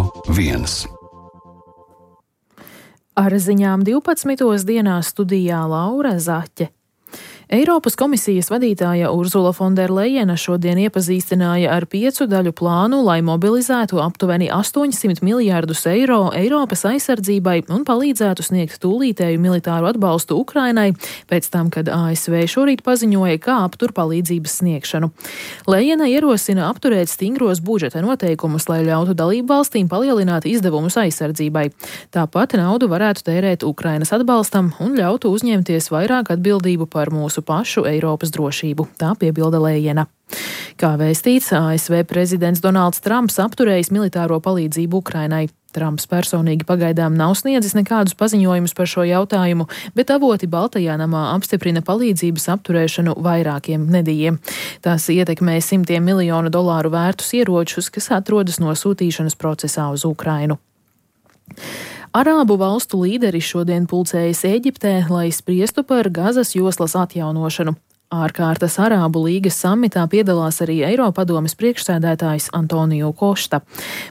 Radio 1. Ar ziņām 12. dienā studijā Laura Zaķe. Eiropas komisijas vadītāja Urzula Fonderlejena šodien iepazīstināja ar 5 daļu plānu, lai mobilizētu aptuveni 800 miljārdus eiro Eiropas aizsardzībai un palīdzētu sniegt tūlītēju militāru atbalstu Ukrainai, pēc tam, kad ASV šorīt paziņoja, kā aptur palīdzības sniegšanu. Lejena ierosina apturēt stingros budžeta noteikumus, lai ļautu dalību valstīm palielināt izdevumus aizsardzībai. Tāpat naudu varētu tērēt Ukrainas atbalstam un ļautu uzņemties vairāk atbildību par mūsu pašu Eiropas drošību, tā piebilda Lejena. Kā vēstīts, ASV prezidents Donalds Trumps apturējis militāro palīdzību Ukrainai. Trumps personīgi pagaidām nav sniedzis nekādus paziņojumus par šo jautājumu, bet avoti Baltajā namā apstiprina palīdzības apturēšanu vairākiem nedēļiem. Tas ietekmē $100 miljonu vērtus ieročus, kas atrodas nosūtīšanas procesā uz Ukrainu. Arābu valstu līderi šodien pulcējas Ēģiptē, lai spriestu par Gazas joslas atjaunošanu. Ārkārtas Arābu līgas samitā piedalās arī Eiropadomes priekšsēdētājs Antonio Kosta.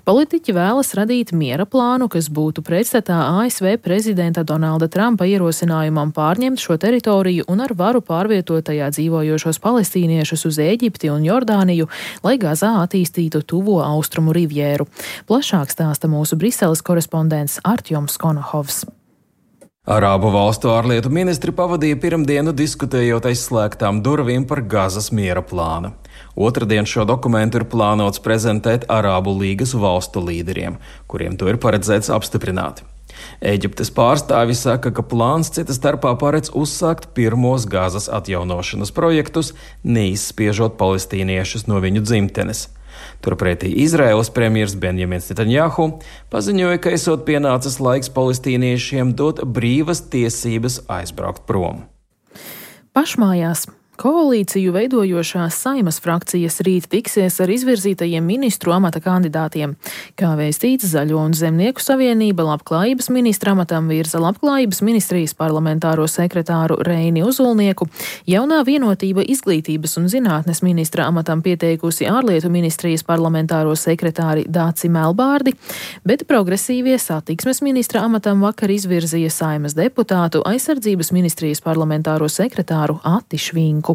Politiķi vēlas radīt miera plānu, kas būtu pretstatā ASV prezidenta Donalda Trumpa ierosinājumam pārņemt šo teritoriju un ar varu pārvietot tajā dzīvojošos palestīniešus uz Ēģipti un Jordāniju, lai Gazā attīstītu tuvo austrumu rivjēru. Plašāk stāsta mūsu Briseles korespondents Artjoms Konohovs. Arābu valstu ārlietu ministri pavadīja pirmdienu diskutējot aiz slēgtām durvīm par Gazas miera plānu. Otradien šo dokumentu ir plānots prezentēt Arābu līgas valstu līderiem, kuriem to ir paredzēts apstiprināt. Ēģiptes pārstāvi saka, ka plāns cita starpā paredz uzsākt pirmos Gazas atjaunošanas projektus, neizspiežot palestīniešus no viņu dzimtenes. Turpretī Izraēlas premjers Benjamins Netanjahu paziņoja, ka esot pienācis laiks palestīniešiem dot brīvas tiesības aizbraukt prom. Pašmājās. Koalīciju veidojošās Saimas frakcijas rīt tiksies ar izvirzītajiem ministru amata kandidātiem. Kā vēstīts, Zaļo un Zemnieku savienība labklājības ministra amatam virza labklājības ministrijas parlamentāro sekretāru Reini Uzulnieku, jaunā vienotība izglītības un zinātnes ministra amatam pieteikusi ārlietu ministrijas parlamentāro sekretāri Dāci Melbārdi, bet progresīvie satiksmes ministra amatam vakar izvirzīja Saimas deputātu aizsardzības ministrijas parlamentāro sekretāru Ati Švinku.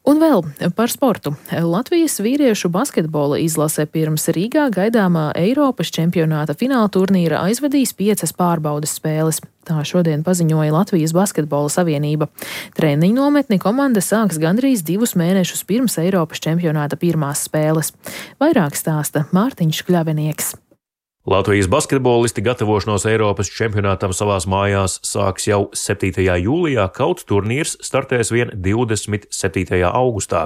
Un vēl par sportu. Latvijas vīriešu basketbola izlase pirms Rīgā gaidāmā Eiropas čempionāta fināla turnīra aizvadīs 5 pārbaudes spēles. Tā šodien paziņoja Latvijas basketbola savienība. Treniņu nometni komanda sāks gandrīz 2 mēnešus pirms Eiropas čempionāta pirmās spēles. Vairāk stāsta Mārtiņš Kļavinieks. Latvijas basketbolisti gatavošanos Eiropas čempionātam savās mājās sāks jau 7. jūlijā, kaut turnīrs startēs vien 27. augustā.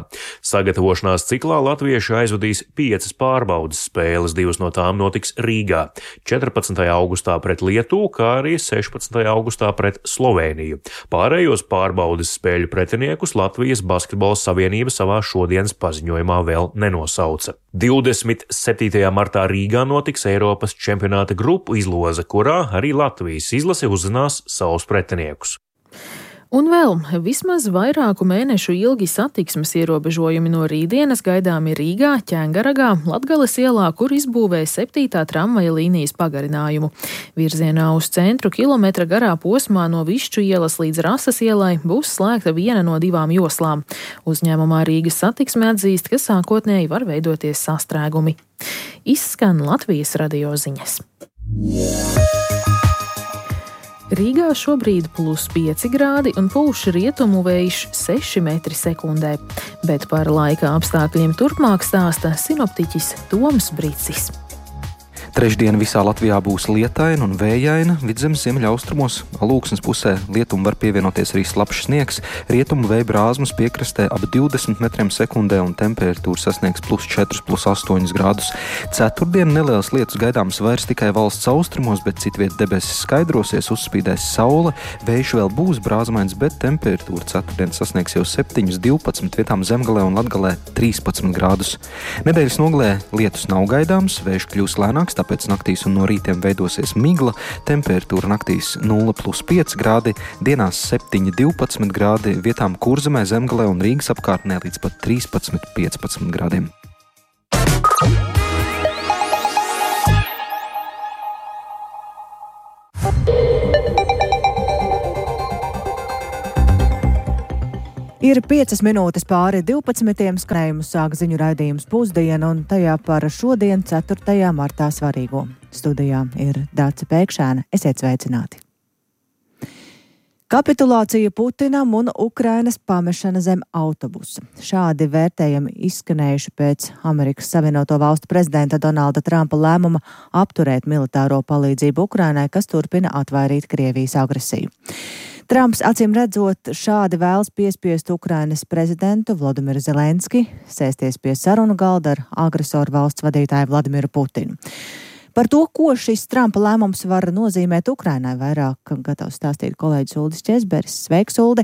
Sagatavošanās ciklā latvieši aizvadīs 5 pārbaudes spēles, 2 no tām notiks Rīgā, 14. augustā pret Lietuvu, kā arī 16. augustā pret Slovēniju. Pārējos pārbaudes spēļu pretiniekus Latvijas basketbola savienība savā šodienas paziņojumā vēl nenosauca. 27. martā Rīgā notiks Eiropas čempionāta grupu izloze, kurā arī Latvijas izlase uzzinās savus pretiniekus. Un vēl vismaz vairāku mēnešu ilgi satiksmes ierobežojumi no rītdienas gaidāmi Rīgā, Ķengaragā, Latgales ielā, kur izbūvē 7. tramvaja līnijas pagarinājumu. Virzienā uz centru kilometra garā posmā no Višķu ielas līdz Rasas ielai būs slēgta viena no 2 joslām. Uzņēmumā Rīgas satiksme atzīst, ka sākotnēji var veidoties sastrēgumi. Izskan Latvijas radio ziņas. Rīgā šobrīd +5 grādi un pūš rietumu vējš 6 metri sekundē, bet par laika apstākļiem turpmāk stāsta sinoptiķis Toms Bricis. Trešdien visā Latvijā būs lietaina un vējaina, vidzemes ziemeļaustrumos, Alūksnes pusē lietum var pievienoties arī slapjš sniegs, rietumu vēja brāzmas piekrastē ap 20 metriem sekundē un temperatūra sasniegs +4, +8 grādus. Ceturtdien nelielas lietus gaidāmas vairs tikai valsts austrumos, bet citviet debesis skaidrosies, uzspīdēs saule, vējš vēl būs brāzmains, bet temperatūra ceturtdien sasniegs jau 7, 12, vietām Zemgalē un Latgalē 13 grādus. Nedēļas nogalē lietus nav gaidāms, vējš kļūs lēnāks, tāpēc naktīs un no rītiem veidosies migla, temperatūra naktīs 0+5 grādi, dienās 7, 12 grādi, vietām Kurzemē, Zemgalē un Rīgas apkārtnē līdz pat 13, 15 grādiem. Ir 5 minūtes pāri 12. Skrējumu sāk ziņu raidījums Pusdiena un tajā par šodien 4. martā svarīgo. Studijā ir Dāce Pēkšēna. Esiet sveicināti! Kapitulācija Putinam un Ukrainas pamešana zem autobusa. Šādi vērtējumi izskanējuši pēc Amerikas Savienoto Valstu prezidenta Donalda Trumpa lēmuma apturēt militāro palīdzību Ukrainai, kas turpina atvairīt Krievijas agresiju. Trumps, acīm redzot, šādi vēlas piespiest Ukrainas prezidentu Vladimiru Zelenski sēsties pie sarunu galda ar agresoru valsts vadītāju Vladimiru Putinu. Par to, ko šis Trumpa lēmums var nozīmēt Ukrainai, vairāk gatavs stāstīt kolēģis Uldis Česberis. Sveiks, Uldi!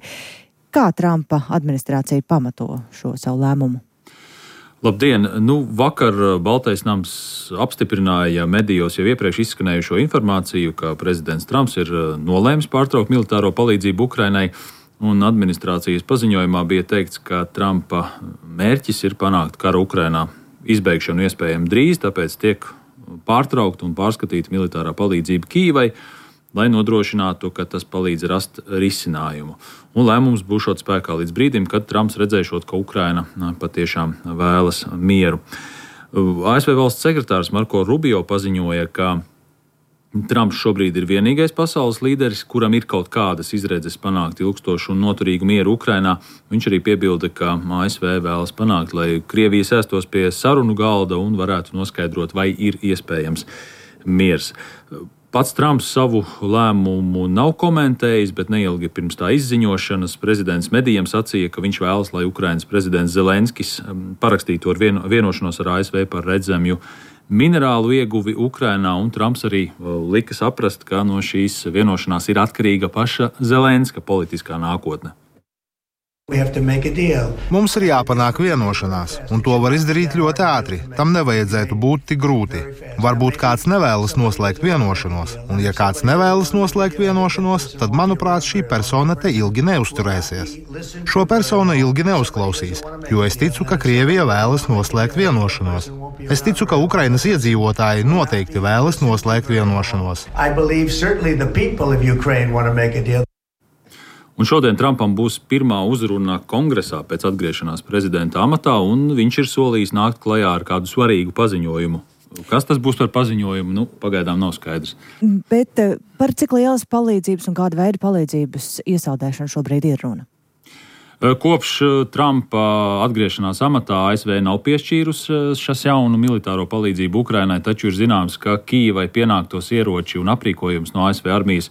Kā Trumpa administrācija pamato šo savu lēmumu? Labdien! Vakar Baltais nams apstiprināja medijos jau iepriekš izskanējušo informāciju, ka prezidents Trumps ir nolēmis pārtraukt militāro palīdzību Ukrainai, un administrācijas paziņojumā bija teikts, ka Trumpa mērķis ir panākt kara Ukrainā izbeigšanu iespējami drīz, tāpēc tiek pārtraukt un pārskatīt militārā palīdzība Kīvai, lai nodrošinātu, ka tas palīdz rast risinājumu. Un lēmums būšot spēkā līdz brīdim, kad Trumps redzēšot, ka Ukraina patiešām vēlas mieru. ASV valsts sekretārs Marko Rubio paziņoja, ka Trumps šobrīd ir vienīgais pasaules līderis, kuram ir kaut kādas izredzes panākt ilgstošu un noturīgu mieru Ukrainā. Viņš arī piebilda, ka ASV vēlas panākt, lai Krievija sēstos pie sarunu galda un varētu noskaidrot, vai ir iespējams miers. Pats Trumps savu lēmumu nav komentējis, bet neilgi pirms tā izziņošanas prezidents medijiem sacīja, ka viņš vēlas, lai Ukrainas prezidents Zelenskis parakstītu ar vienošanos ar ASV par redzamju minerālu ieguvi Ukrainā, un Trumps arī lika saprast, ka no šīs vienošanās ir atkarīga paša Zelenska politiskā nākotne. Mums ir jāpanāk vienošanās, un to var izdarīt ļoti ātri. Tam nevajadzētu būt tik grūti. Varbūt kāds nevēlas noslēgt vienošanos, un ja kāds nevēlas noslēgt vienošanos, tad, manuprāt, šī persona te ilgi neuzturēsies. Šo personu ilgi neuzklausīs, jo es ticu, ka Krievija vēlas noslēgt vienošanos. Es ticu, ka Ukrainas iedzīvotāji noteikti vēlas noslēgt vienošanos. Un šodien Trumpam būs pirmā uzruna kongresā pēc atgriešanās prezidenta amatā, un viņš ir solījis nākt klajā ar kādu svarīgu paziņojumu. Kas tas būs par paziņojumu, pagaidām nav skaidrs. Bet par cik lielas palīdzības un kāda veida palīdzības iesaldēšana šobrīd ir runa? Kopš Trumpa atgriešanās amatā ASV nav piešķīrusi jaunu militāro palīdzību Ukrainai, taču ir zināms, ka Kīvai pienāktos ieroči un aprīkojums no ASV armijas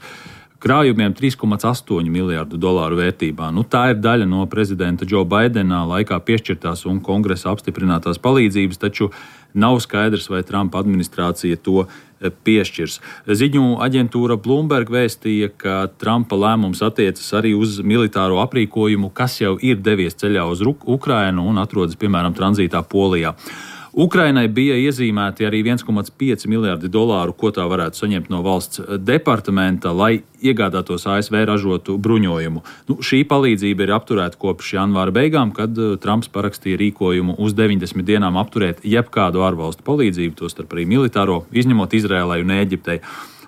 krājumiem $3,8 miljārdu vērtībā. Tā ir daļa no prezidenta Džo Baidena laikā piešķirtās un kongresa apstiprinātās palīdzības, taču nav skaidrs, vai Trumpa administrācija to piešķirs. Ziņu aģentūra Bloomberg vēstīja, ka Trumpa lēmums attiecas arī uz militāro aprīkojumu, kas jau ir devies ceļā uz Ukrainu un atrodas, piemēram, tranzītā Polijā. Ukrainai bija iezīmēti arī $1,5 miljārdi, ko tā varētu saņemt no valsts departamenta, lai iegādātos ASV ražotu bruņojumu. Šī palīdzība ir apturēta kopš janvāra beigām, kad Trumps parakstīja rīkojumu uz 90 dienām apturēt jebkādu ārvalstu palīdzību, tostarp arī militāro, izņemot Izrēlai un Ēģiptei.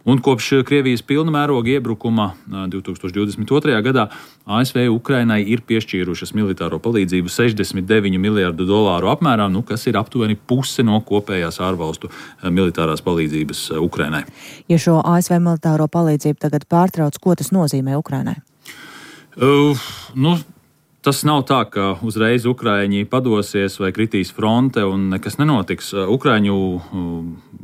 Un kopš Krievijas pilna mēroga iebrukuma 2022. gadā ASV Ukrainai ir piešķīrušas militāro palīdzību $69 miljārdu apmērā, kas ir aptuveni puse no kopējās ārvalstu militārās palīdzības Ukrainai. Ja šo ASV militāro palīdzību tagad pārtrauc, ko tas nozīmē Ukrainai? Tas nav tā, ka uzreiz Ukraiņi padosies vai kritīs fronte un nekas nenotiks. Ukraiņu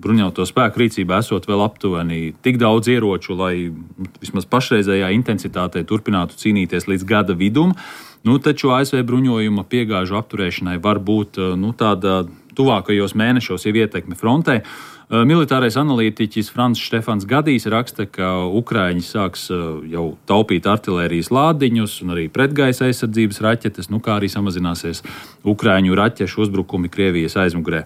bruņoto spēku rīcībā esot vēl aptuveni tik daudz ieroču, lai vismaz pašreizējā intensitātē turpinātu cīnīties līdz gada vidum. Taču ASV bruņojuma piegāžu apturēšanai var būt tāda tuvākajos mēnešos jau ietekme frontē. Militārais analītiķis Frants Štefans Gadijs raksta, ka Ukraiņi sāks jau taupīt artilērijas lādiņus un arī pretgaisa aizsardzības raķetes, kā arī samazināsies Ukraiņu raķešu uzbrukumi Krievijas aizmugurē.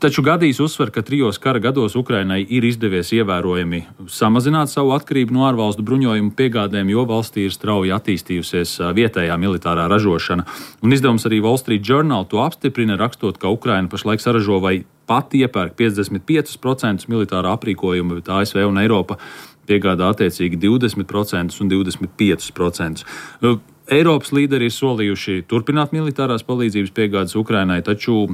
Taču Gadijs uzsver, ka 3 kara gados Ukrainai ir izdevies ievērojami samazināt savu atkarību no ārvalstu bruņojumu piegādēm, jo valstī ir strauji attīstījusies vietējā militārā ražošana. Un izdevums arī Wall Street Journal to apstiprina, rakstot, ka Ukraina pašlaik saražo vai pat iepērk 55% militārā aprīkojuma, bet ASV un Eiropa piegādā attiecīgi 20% un 25%. Eiropas līderi ir solījuši turpināt militārās palīdzības piegādes Ukrainai, taču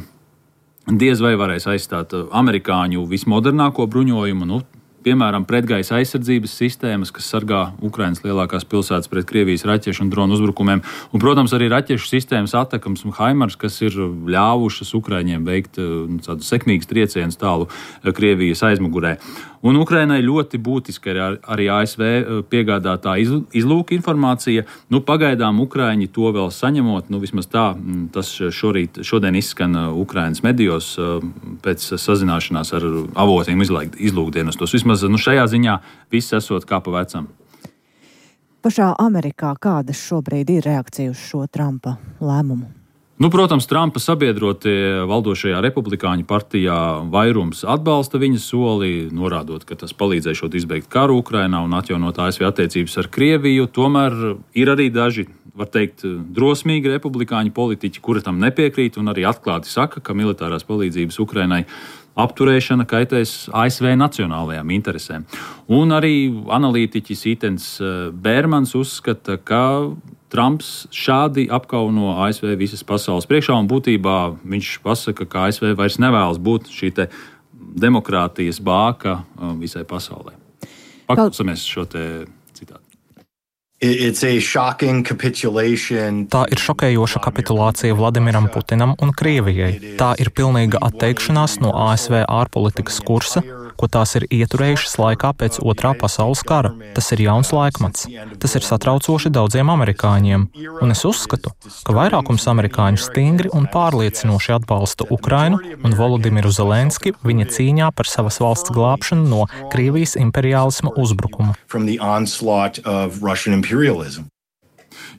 diez vai varēs aizstāt amerikāņu vismodernāko bruņojumu, piemēram, pretgaisa aizsardzības sistēmas, kas sargā Ukrainas lielākās pilsētas pret Krievijas raķešu un dronu uzbrukumiem. Un, protams, arī raķešu sistēmas Atakams un Haimars, kas ir ļāvušas Ukraiņiem veikt tādu sekmīgas triecienus tālu Krievijas aizmugurē. Un Ukrainai ļoti būtiski arī ASV piegādātā izlūka informācija. Pagaidām Ukraiņi to vēl saņemot, vismaz tā, tas šodien izskan Ukrainas medijos pēc sazināšanās ar avotiem izlūkdienestos. Vismaz šajā ziņā viss esot kā pa vecam. Pašā Amerikā kādas šobrīd ir reakcija uz šo Trumpa lēmumu? Protams, Trumpa sabiedrotie valdošajā republikāņu partijā vairums atbalsta viņa soli, norādot, ka tas palīdzēšot izbeigt karu Ukrainā un atjaunot ASV attiecības ar Krieviju. Tomēr ir arī daži, var teikt, drosmīgi republikāņu politiķi, kuri tam nepiekrīt un arī atklāti saka, ka militārās palīdzības Ukrainai apturēšana kaitēs ASV nacionālajām interesēm. Un arī analītiķis Itens Bērmans uzskata, ka Trumps šādi apkauno ASV visas pasaules priekšā, un būtībā viņš pasaka, ka ASV vairs nevēlas būt šī te demokrātijas bāka visai pasaulē. Paklausāmies šo te citātu. Tā ir šokējoša kapitulācija Vladimiram Putinam un Krievijai. Tā ir pilnīga atteikšanās no ASV ārpolitikas kursa, ko tās ir ieturējušas laikā pēc Otrā pasaules kara. Tas ir jauns laikmets. Tas ir satraucoši daudziem amerikāņiem. Un es uzskatu, ka vairākums amerikāņu stingri un pārliecinoši atbalsta Ukrainu un Volodimiru Zelenski viņa cīņā par savas valsts glābšanu no Krievijas imperiālisma uzbrukuma.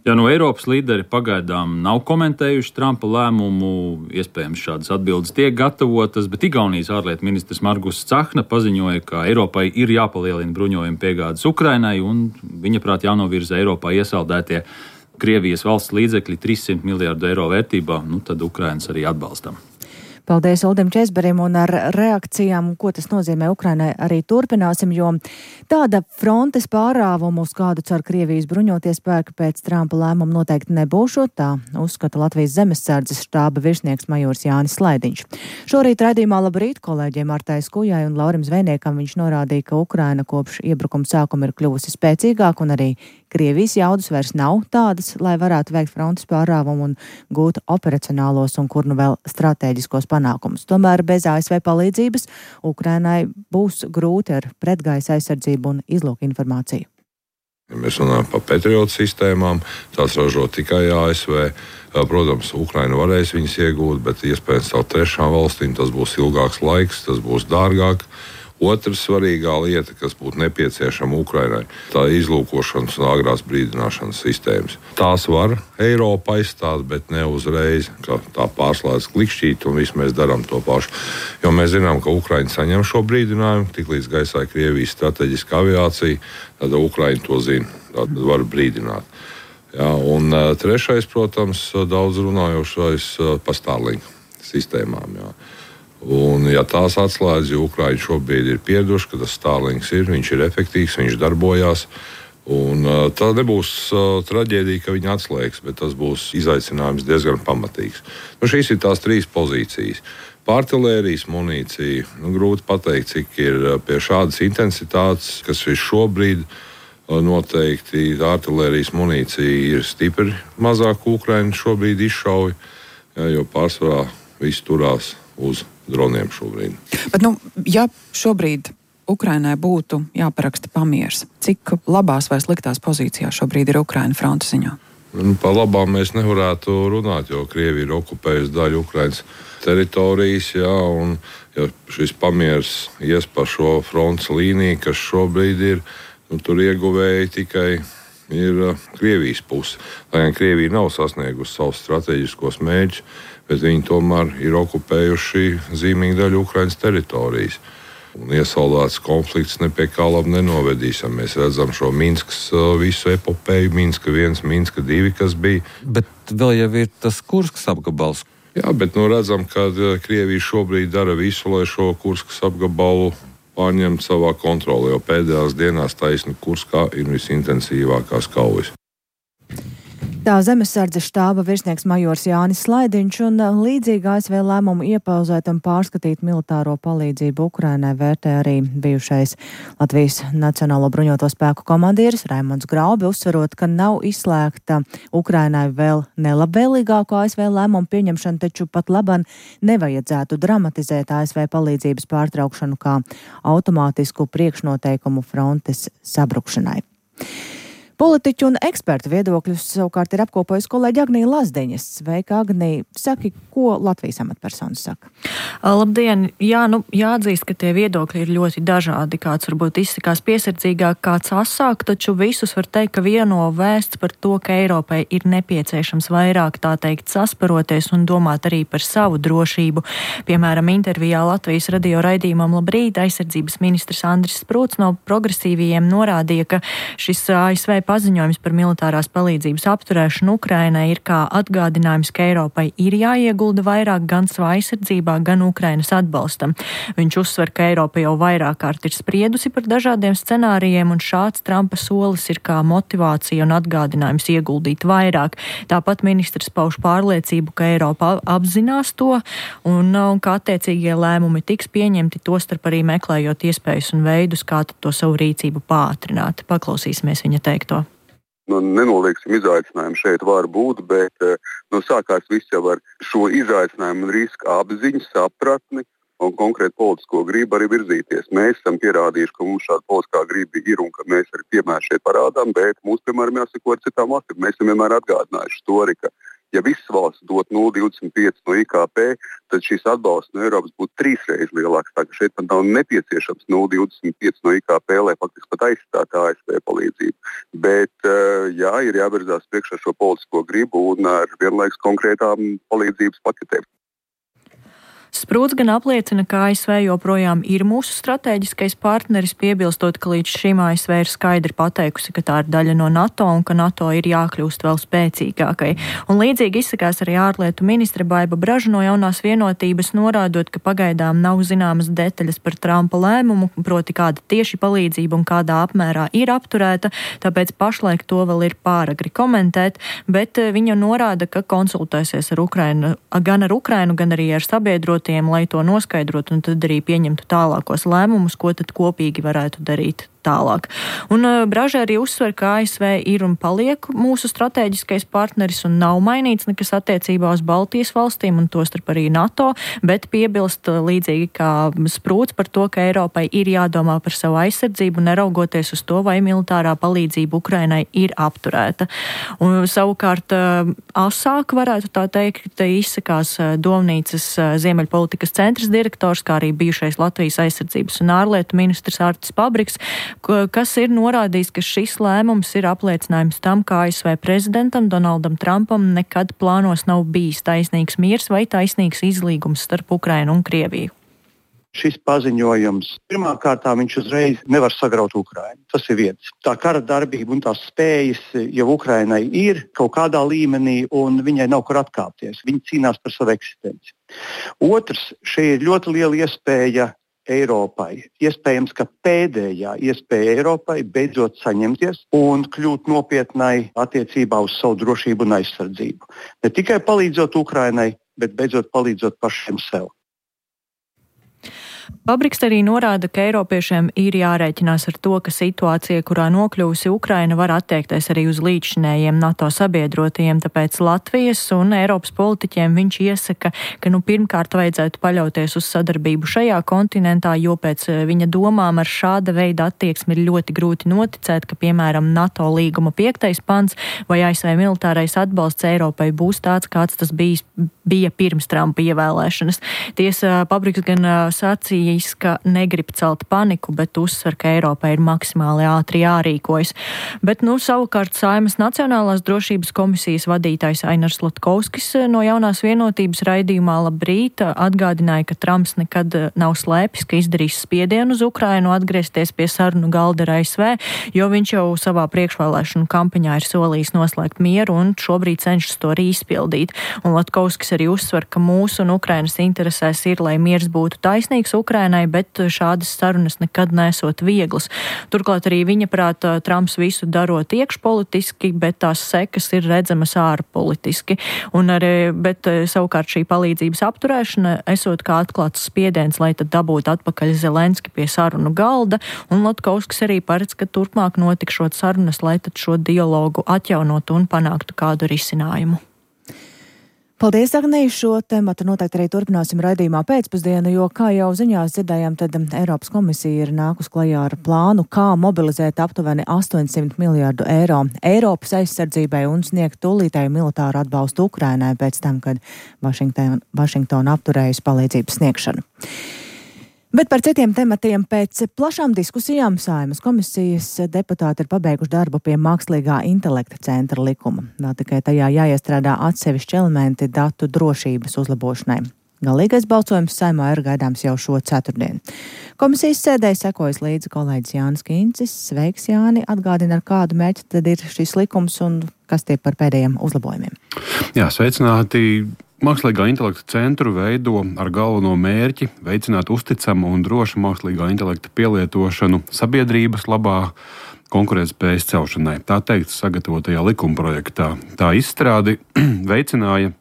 Ja Eiropas līderi pagaidām nav komentējuši Trumpa lēmumu, iespējams šādas atbildes tiek gatavotas, bet Igaunijas ārlietu ministrs Margus Cahna paziņoja, ka Eiropai ir jāpalielina bruņojuma piegādes Ukrainai un viņa prāt jānovirza Eiropā iesaldētie Krievijas valsts līdzekļi 300 miljārdu eiro vērtībā, tad Ukrainas arī atbalstam. Paldies Uldim Česberim, un ar reakcijām, ko tas nozīmē Ukrainai, arī turpināsim, jo tāda frontes pārāvumu, uz kādu cer Krievijas bruņoties spēki pēc Trumpa lēmuma noteikti nebūšot, tā uzskata Latvijas zemesardzes štāba virsnieks majors Jānis Slaidiņš. Šorīt raidījumā Labrīt kolēģiem Martai Skujai un Laurim Zvejniekam viņš norādīja, ka Ukraina kopš iebrukuma sākuma ir kļuvusi spēcīgāka un arī Krievijas jaudas vairs nav tādas, lai varētu veikt frontes pārāvumu un gūt operacionālos un kur vēl strateģiskos panākumus. Tomēr bez ASV palīdzības Ukrainai būs grūti ar pretgaisa aizsardzību un izlūku informāciju. Ja mēs runājam par Patriot sistēmām, tās ražo tikai ASV. Protams, Ukraina varēs viņas iegūt, bet iespējams caur trešām valstīm tas būs ilgāks laiks, tas būs dārgāk. Otra svarīgā lieta, kas būtu nepieciešama Ukrainai, tā izlūkošanas un agrās brīdināšanas sistēmas. Tās var Eiropa aizstāt, bet ne uzreiz, ka tā pārslēdz klikšķīt un viss mēs darām to pašu. Jo mēs zinām, ka Ukraina saņem šo brīdinājumu, tiklīdz gaisā Krievijas strateģiska aviācija, tad Ukraina to zina, tad var brīdināt. Jā, un trešais, protams, daudz runājošais par Starlink sistēmām. Jā. Un, ja tās atslēdz, jo Ukraiņi šobrīd ir pieraduši, ka tas Starlinks ir, viņš ir efektīvs, viņš darbojās. Un, tā nebūs traģēdija, ka viņi atslēgs, bet tas būs izaicinājums diezgan pamatīgs. Šīs ir tās trīs pozīcijas. Artilērijas munīcija, grūti pateikt, cik ir pie šādas intensitātes, kas ir šobrīd. Noteikti artilērijas munīcija ir stipri mazāk Ukraiņu šobrīd izšauj, jo pārsvarā viss turās uz droniem šobrīd. Bet, ja šobrīd Ukrainai būtu jāparaksta pamiers, cik labās vai sliktās pozīcijās šobrīd ir Ukraina fronte ziņā? Par labām mēs nevarētu runāt, jo Krievija ir okupējusi daļu Ukrainas teritorijas, un ja šis pamiers ies par šo frontes līniju, kas šobrīd ir, tur ieguvēji tikai ir Krievijas puse. Lai gan Krievija nav sasniegusi savus strateģiskos mērķus, bet viņi tomēr ir okupējuši zīmīgu daļu Ukrainas teritorijas. Un iesaldēts konflikts ne pie kā labi nenovedīs. Mēs redzam šo Minskas visu epopeju, Minska 1, Minska 2, kas bija. Bet vēl jau ir tas Kurskas apgabals. Jā, bet redzam, ka Krievija šobrīd dara visu, lai šo Kurskas apgabalu pārņemt savā kontrolē, jo pēdējās dienās taisni Kurskā ir visintensīvākās kaujas. Tā Zemesardzes štāba virsnieks majors Jānis Slaidiņš un līdzīgi ASV lēmumu iepauzēt un pārskatīt militāro palīdzību Ukrainai vērtē arī bijušais Latvijas Nacionālo bruņoto spēku komandieris Raimonds Graubi, uzsverot, ka nav izslēgta Ukrainai vēl nelabvēlīgāko ASV lēmumu pieņemšanu, taču pat laban nevajadzētu dramatizēt ASV palīdzības pārtraukšanu kā automātisku priekšnoteikumu frontes sabrukšanai. Politiķu un ekspertu viedokļus savukārt ir apkopojis kolēģi Agnija Lazdiņas. Sveika, Agnija. Saki, ko Latvijas amatpersonas saka? Labdien! Jā, jāatzīst, ka tie viedokļi ir ļoti dažādi. Kāds varbūt izsakās piesardzīgāk, kāds asāk, taču visus var teikt, ka vieno vēsts par to, ka Eiropai ir nepieciešams vairāk, tā teikt, sasparoties un domāt arī par savu drošību. Piemēram, intervijā Latvijas radio raidījumam Labrīt aizsardzības ministrs Andris Sprūts no progresīvajiem norādīja, ka šis ASV paziņojums par militārās palīdzības apturēšanu Ukrainai ir kā atgādinājums, ka Eiropai ir jāiegulda vairāk gan savā aizsardzībā, gan Ukrainas atbalstam. Viņš uzsver, ka Eiropa jau vairāk kārt ir spriedusi par dažādiem scenārijiem, un šāds Trumpa solis ir kā motivācija un atgādinājums ieguldīt vairāk. Tāpat ministrs pauž pārliecību, ka Eiropa apzinās to, un ka attiecīgie lēmumi tiks pieņemti, tostarp arī meklējot iespējas un veidus, kā to savu rīcību pātrināt. Paklausīsimies viņa teikto. Nenolieksim izaicinājumu šeit var būt, bet sākās viss jau ar šo izaicinājumu un riska apziņu, sapratni un konkrēti politisko gribu arī virzīties. Mēs esam pierādījuši, ka mums šāda politiskā griba ir un ka mēs arī piemēram šeit parādām, bet mums, piemēram, jāsako ar citām valstīm. Mēs esam vienmēr atgādinājuši to arī, ka ja visas valsts dot 0,25 no IKP, tad šīs atbalsts no Eiropas būtu 3 reizes lielāks. Tā ka šeit pat nav nepieciešams 0,25 no IKP, lai faktiski pat aizstātu ASV palīdzību. Bet, jā, ir jāvirzās priekšā šo politisko gribu un ar vienlaikus konkrētām palīdzības paketēm. Sprūts gan apliecina, ka ASV joprojām ir mūsu strateģiskais partneris, piebilstot, ka līdz šim ASV ir skaidri pateikusi, ka tā ir daļa no NATO un ka NATO ir jākļūst vēl spēcīgākai. Un līdzīgi izsakās arī ārlietu ministre Baiba Braža no Jaunās vienotības, norādot, ka pagaidām nav zināmas detaļas par Trumpa lēmumu, proti kāda tieši palīdzība un kādā apmērā ir apturēta, tāpēc pašlaik to vēl ir pāragri komentēt, bet viņa norāda, ka konsultēsies ar Ukrainu, gan arī ar sabiedrotību, lai to noskaidrotu un tad arī pieņemtu tālākos lēmumus, ko tad kopīgi varētu darīt tālāk. Un Braža arī uzsver, ka ASV ir un paliek mūsu strateģiskais partneris un nav mainīts nekas attiecībā uz Baltijas valstīm un tostarp arī NATO, bet piebilst līdzīgi kā Sprūts par to, ka Eiropai ir jādomā par savu aizsardzību, neraugoties uz to, vai militārā palīdzība Ukrainai ir apturēta. Un savukārt asāk varētu tā teikt, izsakās Domnīcas Ziemeļpolitikas centras direktors, kā arī bijušais Latvijas aizsardzības un ārlietu ministrs Artis Pabriks, kas ir norādījis, ka šis lēmums ir apliecinājums tam, ka ASV prezidentam Donaldam Trumpam nekad plānos nav bijis taisnīgs miers vai taisnīgs izlīgums starp Ukrainu un Krieviju. Šis paziņojums pirmkārt viņš uzreiz nevar sagraut Ukrainu. Tas ir viens. Tā kara darbība un tās spējas jau Ukrainai ir kaut kādā līmenī un viņai nav kur atkāpties. Viņa cīnās par savu eksistenci. Otrs, šī ir ļoti liela iespēja Eiropai. Iespējams, ka pēdējā iespēja Eiropai beidzot saņemties un kļūt nopietnai attiecībā uz savu drošību un aizsardzību. Ne tikai palīdzot Ukrainai, bet beidzot palīdzot pašiem sev. Pabriks arī norāda, ka eiropiešiem ir jārēķinās ar to, ka situācija, kurā nokļuvusi Ukraina, var attiekties arī uz līdzšinējiem NATO sabiedrotajiem, tāpēc Latvijas un Eiropas politiķiem viņš iesaka, ka pirmkārt vajadzētu paļauties uz sadarbību šajā kontinentā, jo pēc viņa domām ar šāda veida attieksmi ir ļoti grūti noticēt, ka, piemēram, NATO līguma 5. pants vai ASV militārais atbalsts Eiropai būs tāds, kāds tas bija pirms Trumpa ievēlēšanas. Tiesa, Pabriks gan sacīja, ka negrib celt paniku, bet uzsver, ka Eiropai ir maksimāli ātri jārīkojas. Bet, savukārt Saeimas Nacionālās drošības komisijas vadītājs Ainars Latkovskis no Jaunās vienotības raidījumā Labrīt atgādināja, ka Trumps nekad nav slēpis, ka izdarīs spiedienu uz Ukrainu atgriezties pie sarunu galda ar ASV, jo viņš jau savā priekšvēlēšanu kampaņā ir solījis noslēgt mieru un šobrīd cenšas to arī izpildīt. Un Latkovskis arī uzsver, ka mūsu un Ukrainas interesēs ir, lai miers būtu taisnīgs Ukrainai, bet šādas sarunas nekad nesot vieglas. Turklāt arī viņa prāt Trumps visu darot iekšpolitiski, bet tās sekas ir redzamas ārpolitiski. Bet savukārt šī palīdzības apturēšana esot kā atklāts spiediens, lai tad dabūtu atpakaļ Zelenski pie sarunu galda, un Lotkovskis arī paredz, ka turpmāk notikšot sarunas, lai tad šo dialogu atjaunotu un panāktu kādu risinājumu. Paldies, Agnija. Šo tematu noteikti arī turpināsim raidījumā pēcpusdienu, jo, kā jau ziņās dzirdējām, tad Eiropas komisija ir nākus klajā ar plānu, kā mobilizēt aptuveni 800 miljārdu eiro Eiropas aizsardzībai un sniegt tūlītēju militāru atbalstu Ukrainai pēc tam, kad Vašingtona apturējusi palīdzības sniegšanu. Bet par citiem tematiem pēc plašām diskusijām Saeimas komisijas deputāti ir pabeiguši darbu pie mākslīgā intelekta centra likuma. Vēl tikai tajā jāiestrādā atsevišķi elementi datu drošības uzlabošanai. Galīgais balsojums Saeimā ir gaidāms jau šo ceturtdienu. Komisijas sēdē sekojas līdzi kolēģis Jānis Kīncis. Sveiks, Jāni! Atgādina, ar kādu mērķi tad ir šis likums un kas tie par pēdējiem uzlabojumiem? Jā, sveicināti! Mākslīgā intelekta centru veido ar galveno mērķi veicināt uzticamu un drošu mākslīgā intelekta pielietošanu sabiedrības labā konkurētspējas celšanai. Tā teikts sagatavotajā likumprojektā. Tā izstrādi veicināja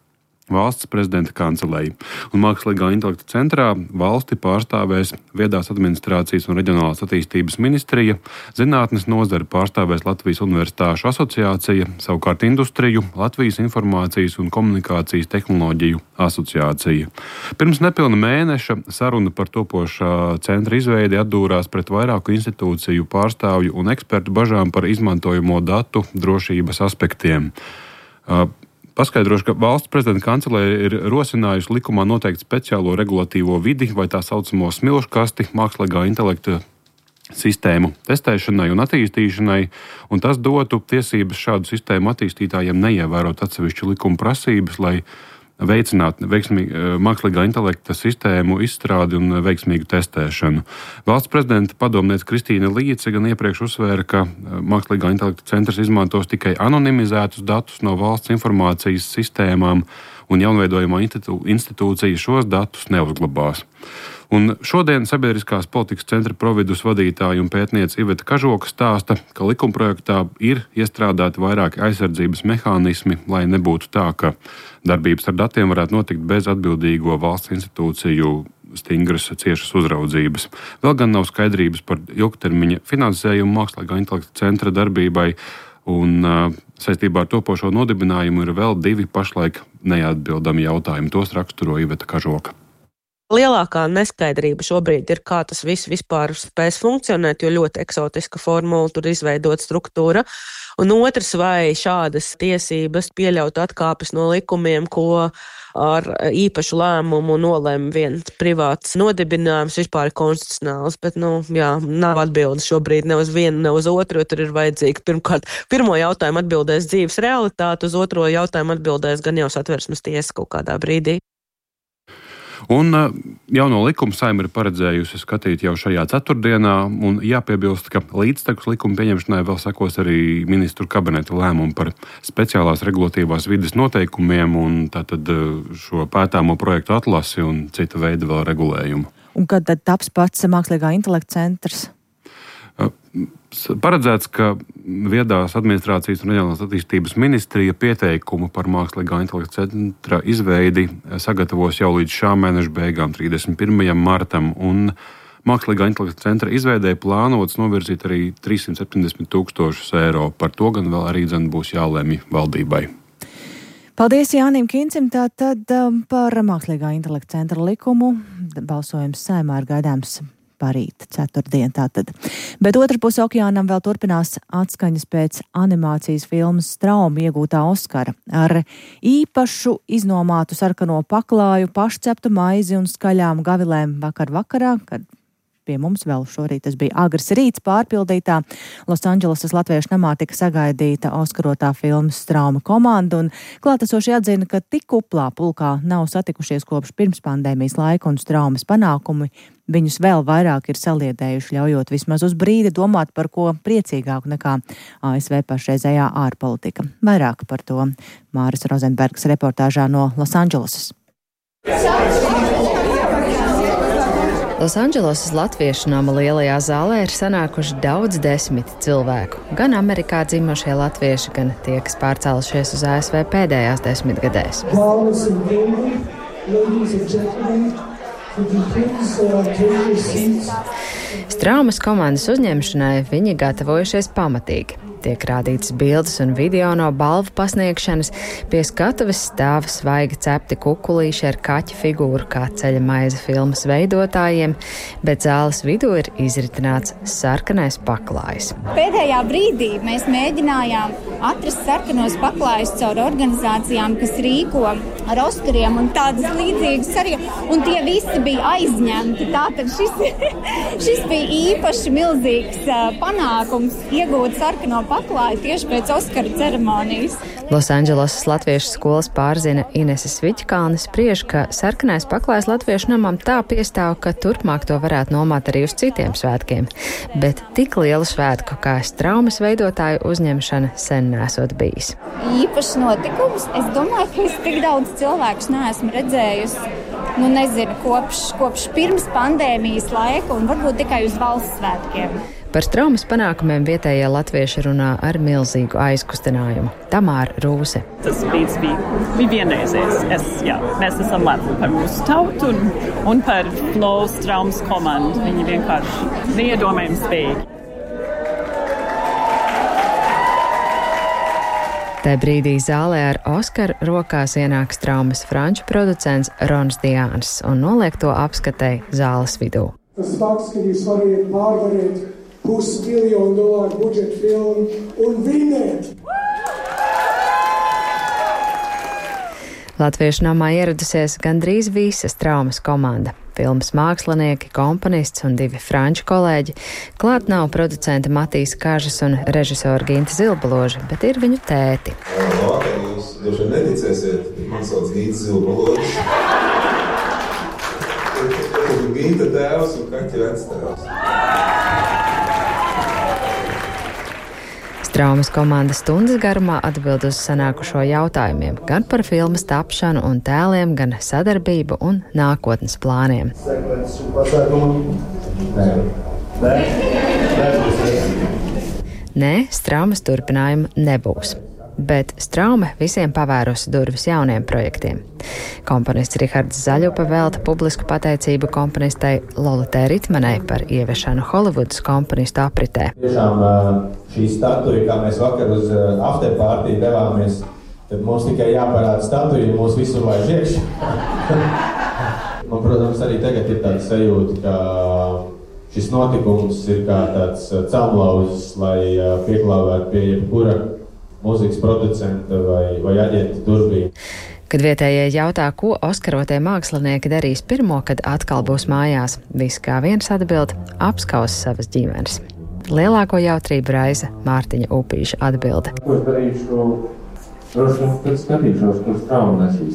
valsts prezidenta kancelēja. Un Mākslīgā intelekta centrā valsti pārstāvēs viedās administrācijas un reģionālās attīstības ministrija, zinātnes nozare pārstāvēs Latvijas Universitāšu asociācija, savukārt industriju Latvijas informācijas un komunikācijas tehnoloģiju asociācija. Pirms nepilna mēneša saruna par topošā centra izveidi atdūrās pret vairāku institūciju pārstāvju un ekspertu bažām par izmantojamo datu drošības aspektiem. Paskaidrošu, ka valsts prezidenta kancelēja ir rosinājusi likumā noteikt speciālo regulatīvo vidi vai tā saucamo smilškasti mākslīgā intelekta sistēmu testēšanai un attīstīšanai, un tas dotu tiesības šādu sistēmu attīstītājiem neievērot atsevišķu likuma prasības, lai veicinātu mākslīgā intelekta sistēmu izstrādi un veiksmīgu testēšanu. Valsts prezidenta padomniece Kristīna Līce gan iepriekš uzsvēra, ka mākslīgā intelekta centrs izmantos tikai anonimizētus datus no valsts informācijas sistēmām, un jaunveidojamā institūcija šos datus neuzglabās. Un šodien Sabiedriskās politikas centra providus vadītāja un pētniece Iveta Kažoka stāsta, ka likumprojektā ir iestrādāti vairāki aizsardzības mehānismi, lai nebūtu tā, ka darbības ar datiem varētu notikt bez atbildīgo valsts institūciju stingras ciešas uzraudzības. Vēl gan nav skaidrības par ilgtermiņa finansējumu mākslīgā intelekta centra darbībai, un saistībā ar topošo nodibinājumu ir vēl 2 pašlaik neatbildami jautājumi. Tos raksturo Iveta Kažoka. Lielākā neskaidrība šobrīd ir, kā tas viss vispār spēs funkcionēt, jo ļoti eksotiska formula tur izveidot struktūra. Un otrs, vai šādas tiesības pieļaut atkāpes no likumiem, ko ar īpašu lēmumu nolēma viens privāts nodibinājums, vispār ir konstitucionāls. Bet, nav atbildes šobrīd ne uz vienu, ne uz otru, jo tur ir vajadzīga pirmkārt. Pirmo jautājumu atbildēs dzīves realitāte, uz otro jautājumu atbildēs gan jau Satversmes tiesa kaut kādā brīdī. Un jauno likumu Saeima ir paredzējusi skatīt jau šajā ceturtdienā, un jāpiebilst, ka līdztekus likuma pieņemšanai vēl sekos arī ministru kabineta lēmumu par speciālās regulatīvās vides noteikumiem un tātad šo pētāmo projektu atlasi un cita veida vēl regulējumu. Un kad tad taps pats mākslīgā intelekta centrs? Paredzēts, ka viedās administrācijas un reģionālās attīstības ministrija pieteikumu par mākslīgā intelekta centra izveidi sagatavos jau līdz šā mēneša beigām, 31. martam, un mākslīgā intelekta centra izveidē plānots novirzīt arī 370 000 eiro. Par to gan vēl arī būs jālemj valdībai. Paldies Jānim Kīncim. Tātad par mākslīgā intelekta centra likumu balsojums Saeimā ir gaidāms parīt, ceturtdien tātad. Bet otra puse okeānam vēl turpinās atskaņas pēc animācijas filmas Strauma iegūtā Oskara. Ar īpašu iznomātu sarkano paklāju, pašceptu maizi un skaļām gavilēm vakarā, kad pie mums vēl šorīt tas bija agrs rīts pārpildītā Losandželesas Latviešu namā tika sagaidīta oskarotā filmas Strauma komanda, un klātesošie atzina, ka tik kuplā pulkā nav satikušies kopš pirms pandēmijas laika, un Straumas panākumi viņus vēl vairāk ir saliedējuši, ļaujot vismaz uz brīdi domāt par ko priecīgāku nekā ASV pašreizējā ārpolitika. Vairāk par to Māris Rozenbergs reportāžā no Losandželesas. Losandželosas latviešu nama lielajā zālē ir sanākuši daudz desmiti cilvēku. Gan Amerikā dzimušie latvieši, gan tie, kas pārcēlušies uz ASV pēdējās 10 gadēs. Straumes komandas uzņemšanai viņi gatavojušies pamatīgi. Tiek rādītas bildes un video no balvu pasniegšanas, pie skatuves stāv svaigi cepti kukulīši ar kaķa figūru kā ceļa maize filmas veidotājiem, bet zāles vidū ir izritināts sarkanais paklājs. Pēdējā brīdī mēs mēģinājām atrast sarkanos paklājus caur organizācijām, kas rīko ar Oskariem un tādas līdzīgas arī, un tie visi bija aizņemti. Tātad šis bija īpaši milzīgs panākums iegūt sarkano paklāju tieši pēc Oskaru ceremonijas. Losandželosas latviešu skolas pārzina Inese Sviķkalne spriež, ka sarkanais paklājs latviešu namam tā piestāv, ka turpmāk to varētu nomāt arī uz citiem svētkiem. Bet tik lielu svētku kā Straumes veidotāju uzņemšana sen nesot bijis. Īpašs notikums. Es domāju, ka es tik daudz cilvēkus neesmu redzējusi, kopš pirms pandēmijas laika un varbūt tikai uz valsts svētkiem. Par Straumes panākumiem vietējie latvieši runā ar milzīgu aizkustinājumu. Tamāra Rūse. Tas brīdis bija vienreizējs. Mēs esam lepni par mūsu tautu un par Flow Straumes komandu. Viņi vienkārši neiedomājami spējīgi. Tā brīdī zālē ar Oskaru rokās ienāk Straumes franču producents Rons Diāns un noliek to apskatei zāles vidū. Tas fakts, ka jūs variet pārvarēt $500 miljonu budžeta filmu un vinēt. Latviešu namā ieradusies gandrīz visa Straumes komanda. Filmas mākslinieki, komponists un 2 franču kolēģi. Klāt nav producenta Matīs Kažas un režisora Ginta Zilbaloža, bet ir viņu tēti. Vakar jūs droši vien neticēsiet, man sauc Ginta Zilbaložs. Ginta tēvs un kaķa vectēvs. Straumes komanda stundas garumā atbild uz sanākušo jautājumiem gan par filmas tapšanu un tēliem, gan sadarbību un nākotnes plāniem. Nē, Straumes turpinājuma nebūs. Bet Straume visiem pavērusi durvis jauniem projektiem. Komponists Rihards Zaļupa velta publisku pateicību komponistei Lolitei Ritmanei par ieviešanu Holivudas komponistu apritē. Tiešām šī statuja, kā mēs vakar uz afterpartiju devāmies, tad mums tikai jāparāda statuja un mūs visur laiž iekšā. Man, protams, arī tagad ir tāda sajūta, ka šis notikums ir kā tāds celmlauzis, lai pieklāvētu pie jebkura mūzikas producenta vai aģenta durvīm. Kad vietējie jautā, ko oskarotie mākslinieki darīs pirmo, kad atkal būs mājās, visi kā viens atbild – apskaus savas ģimenes. Lielāko jautrību raisa Mārtiņa Upīša atbilde. Ko es darīšu? Droši vien, kad skatīšos, kur Straume nesīs.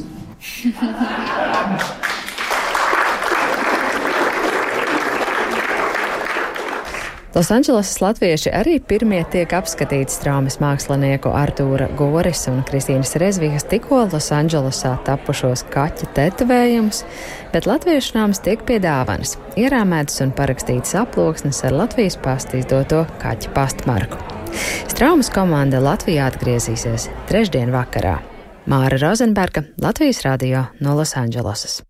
Losandželosas latvieši arī pirmie tiek apskatīti Straumes mākslinieku Artūra Goris un Kristīnas Rezvikas tikko Losandželosā tapušos kaķa tetovējumus, bet latviešu nams tiek pie dāvanas, ierāmētas un parakstītas aploksnes ar Latvijas pasta izdoto kaķa pastmarku. Straumes komanda Latvijā atgriezīsies trešdien vakarā. Māra Rozenberga, Latvijas radio no Losandželosas.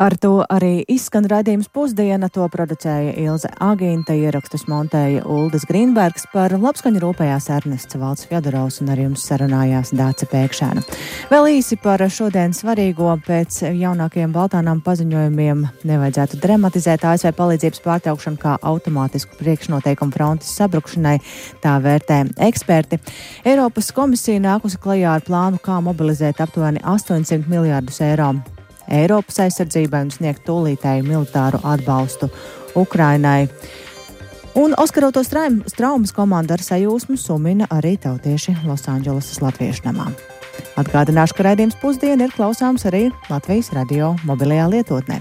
Ar to arī izskan raidījums Pusdiena, to producēja Ilze Agīnta, ierakstus montēja Uldis Grīnbergs, par labskaņu rūpējās Ernests Valds Fjodorovs un ar jums sarunājās Dāce Pēkšēna. Vēl īsi par šodien svarīgo. Pēc jaunākajiem Baltānām paziņojumiem nevajadzētu dramatizēt ASV palīdzības pārtraukšanu kā automātisku priekšnoteikumu frontes sabrukšanai, tā vērtē eksperti. Eiropas komisija nākusi klajā ar plānu, kā mobilizēt aptuveni 800 miljārdus eiro Eiropas aizsardzībai un sniegt tūlītēju militāru atbalstu Ukrainai. Un oskaroto Straumes komanda ar sajūsmu sumina arī tautieši Losandželosas latviešu namā. Atgādināšu, ka raidījums Pusdiena ir klausāms arī Latvijas radio mobilajā lietotnē.